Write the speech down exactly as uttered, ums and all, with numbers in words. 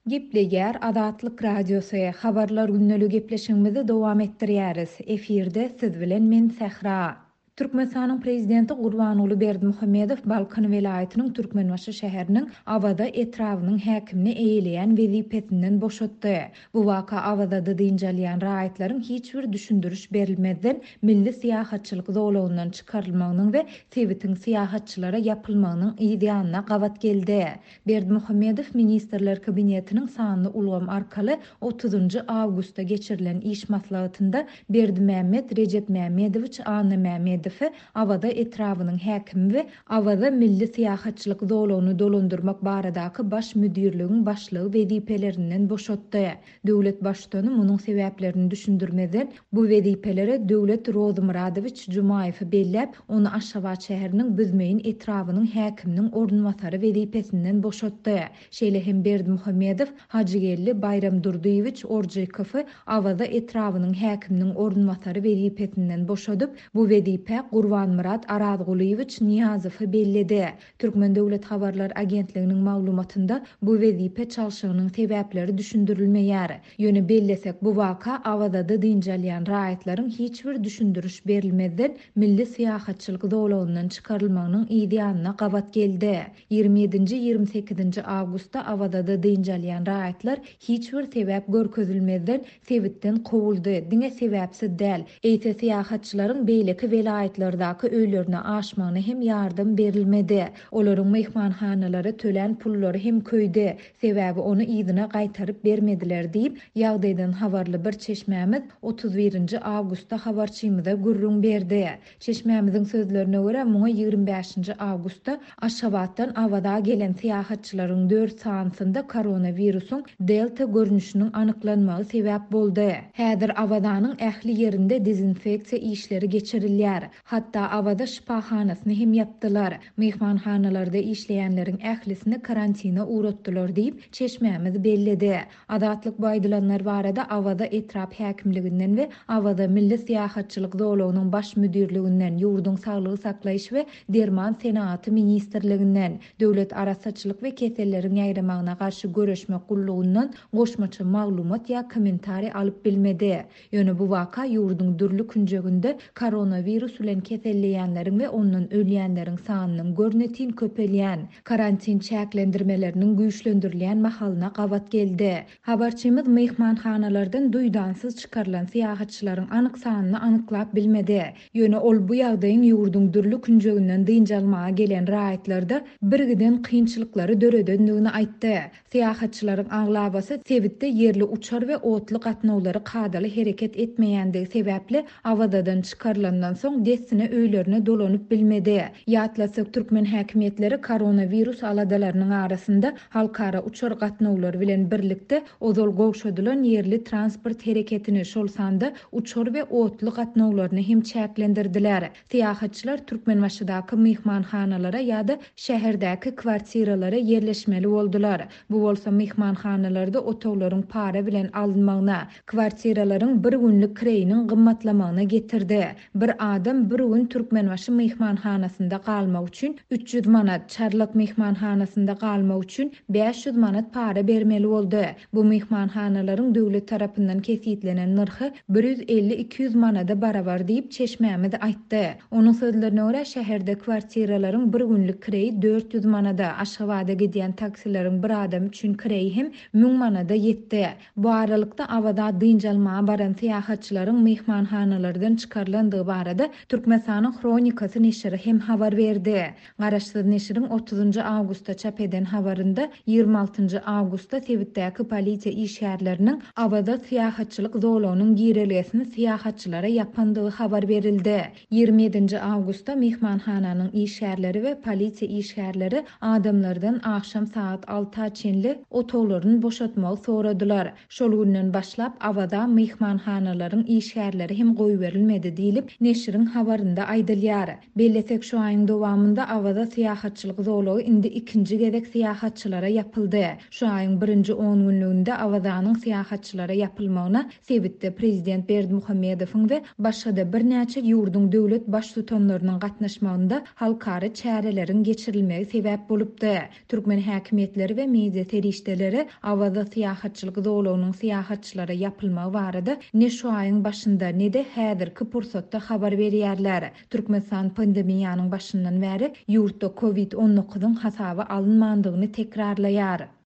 Gepleýär Azatlyk Radiosy, Habarlar gündeligi gepleşigimizi dowam etdirýäris. Efirde siz bilen men Sähra. Türkmenistanyň Prezidenti Gurbanguly Berdimuhamedow Balkan welaýatynyň Türkmenbaşy şäheriniň Awaza etrabynyň häkimini eýeleýän wezipesinden boşatdy. Bu waka Awazada dynç alýan raýatlaryň hiç bir düşündiriş berilmezden milli syýahatçylyk zolagyndan çykarylmagynyň we sebitiň syýahatçylara ýapylmagynyň yz ýanyna gabat geldi. Berdimuhamedow Ministrler Kabinetiniň sanly ulgam arkaly otuzynjy awgustda geçirilen iş maslahatynda Berdimämmet Rejepmämmedowiç Annamämmedowy Awaza etrabynyň häkimi we Awaza milli syýahatçylyk zolagyny dolandyrmak baradaky baş müdirligiň başlygy wezipelerinden boşatdy. Döwlet baştutany munuň sebäplerini düşündirmezden bu wezipelere Döwlet Rozymyradowiç Jumaýewi belläp, ony Aşgabat şäheriniň Büzmeýin etrabynyň häkiminiň orunbasary wezipesinden boşatdy. Şeýle hem Berdimuhamedow Hajygeldi Baýramdurdyýewiç Orjykowy Awaza etrabynyň häkiminiň orunbasary wezipesinden boşadyp, bu wezipä Gurbanmyrat Arazgulyýewiç Nyýazowy belledi. Türkmen döwlet habarlar agentliginiň maglumatynda bu wezipe çalşygynyň sebäpleri düşündirilmeýär. Ýöne bellesek, bu waka Awazada dynç alýan raýatlaryň hiç bir düşündiriş berilmezden milli syýahatçylyk zolagyndan çykarylmagynyň yz ýanyna gabat geldi. Ýigrimi ýedinji, ýigrimi sekizinji awgustda Awazada dynç alýan raýatlar hiç bir sebäp görkezilmezden sebitden kowuldy. Diňe sebäpsiz däl, eýse syýahatçylaryň beýleki welaýatlardaky öýlerine aşmagyna hem ýardam berilmedi. Olaryň myhmanhanalara tölän pullary hem köýdi. Sebäbi ony yzyna gaýtaryp bermediler diýip, ýagdaýdan habarly bir çeşmämiz otuz birinji awgustda habarçymyza gürrüň berdi. Çeşmämiziň sözlerine görä, muňa ýigrimi bäşinji awgustda Aşgabatdan Awaza gelen syýahatçylaryň dört sanysynda koronawirusyň delta görnüşiniň anyklanmagy sebäp boldy. Häzir Awazanyň ähli ýerinde dezinfeksiýa işleri geçirilýär. Hatda Awaza şypahanasyny hem ýapdylar. Myhmanhanalarda işleýänleriň ählisini karantina ugratdylar diýip, çeşmämiz belledi. Azatlyk bu aýdylanlar barada Awaza etrap häkimliginden we Awaza milli syýahatçylyk zolagynyň baş müdirliginden, ýurduň saglygy saklaýyş we derman senagaty ministrliginden, Döwlet arassaçylyk we keselleriň ýaýramagyna garşy göreşmek gullugyndan goşmaça maglumat ýa kommentariý alyp bilmedi. Ýöne bu waka ýurduň dürli künjeginde koronawirus bilen keselleýänleriň we ondan ölýänleriň sanynyň görnetin köpelýän, karantin çäklendirmeleriniň güýçlendirilýän mahalyna gabat geldi. Habarçymyz myhmanhanalardan duýdansyz çykarylan syýahatçylaryň anyk sanyny anyklap bilmedi. Ýöne ol bu ýagdaýyň ýurduň dürli künjeginden dynç almaga gelen raýatlarda birgiden kynçylyklary döredendigini aýtdy. Syýahatçylaryň aglabasy sebitde ýerli uçar we otly gatnawlary kadaly hereket etmeýändigi sebäpli Awazadan çykarylandan soň dessine öýlerine dolanyp bilmedi. Ýatlasak, türkmen häkimiýetleri koronawirus aladalarynyň arasynda halkara uçar gatnawlary bilen birlikde ozal gowşadylan ýerli transport hereketini, şol sanda uçar we otly gatnawlaryny hem çäklendirdiler. Syýahatçylar Türkmenbaşydaky myhmanhanalara ýa-da şäherdäki kwartiralara ýerleşmeli boldular. Bu bolsa myhmanhanalarda otaglaryň para bilen alynmagyna, kwartiralaryň bir günlük kireýiniň gymmatlamagyna getirdi. Bir adam bir gün Türkmenbaşy myhmanhanasynda galmak üçin üç ýüz manat, Çarlak myhmanhanasynda galmak üçin bäş ýüz manat para bermeli boldy. Bu myhmanhanalaryň döwlet tarapyndan kesitlenen nyrhy bir ýüz elli iki ýüz manada barabar diýip çeşmämiz aýtdy. Onuň sözlerine görä, şäherde kwartiralaryň bir günlük kireýi dört ýüz manada, Aşgabada gidýän taksileriň bir adam üçin kireýi hem müň manada ýetdi. Bu aralykda Awaza dynç almaga baran syýahatçylaryň myhmanhanalardan çykarylandygy barada Türkmenistanyň Hronikasy neşiri hem habar berdi. Garaşsyz neşiriň otuzynjy awgustda çap eden habarynda ýigrimi altynjy awgustda sebitdäki polisiýa işgärleriniň Awaza syýahatçylyk zolagynyň girelgesini syýahatçylara ýapandygy habar berildi. Ýigrimi ýedinji awgustda myhmanhananyň işgärleri we polisiýa işgärleri adamlardan akşam saat alta çenli otaglaryny boşatmagy soradylar. Şol günden başlap Awaza myhmanhanalaryň işgärleri hem goýberilmedi diýlip neşiriň habarynda aýdylýar. Bellesek, şu aýyň dowamynda Awaza syýahatçylyk zolagy indi ikinji gezek syýahatçylara ýapyldy. Şu aýyň birinji on günlüginde Awazanyň syýahatçylara ýapylmagyna sebitde prezident Berdimuhamedowyň we başga-da birnäçe ýurduň döwlet baştutanlarynyň gatnaşmagynda halkara çäreleriň geçirilmegi sebäp bolupdy. Türkmen häkimiýetleri we media serişdeleri Awaza syýahatçylyk zolagynyň syýahatçylara ýapylmagy barada ne şu aýyň başynda, ne-de häzirki pursatda habar berýärler. Türkmenistan pandemiýanyň başyndan bäri ýurtda Covid on dokuzyň hasaba alynmandygyny tekrarlaýar.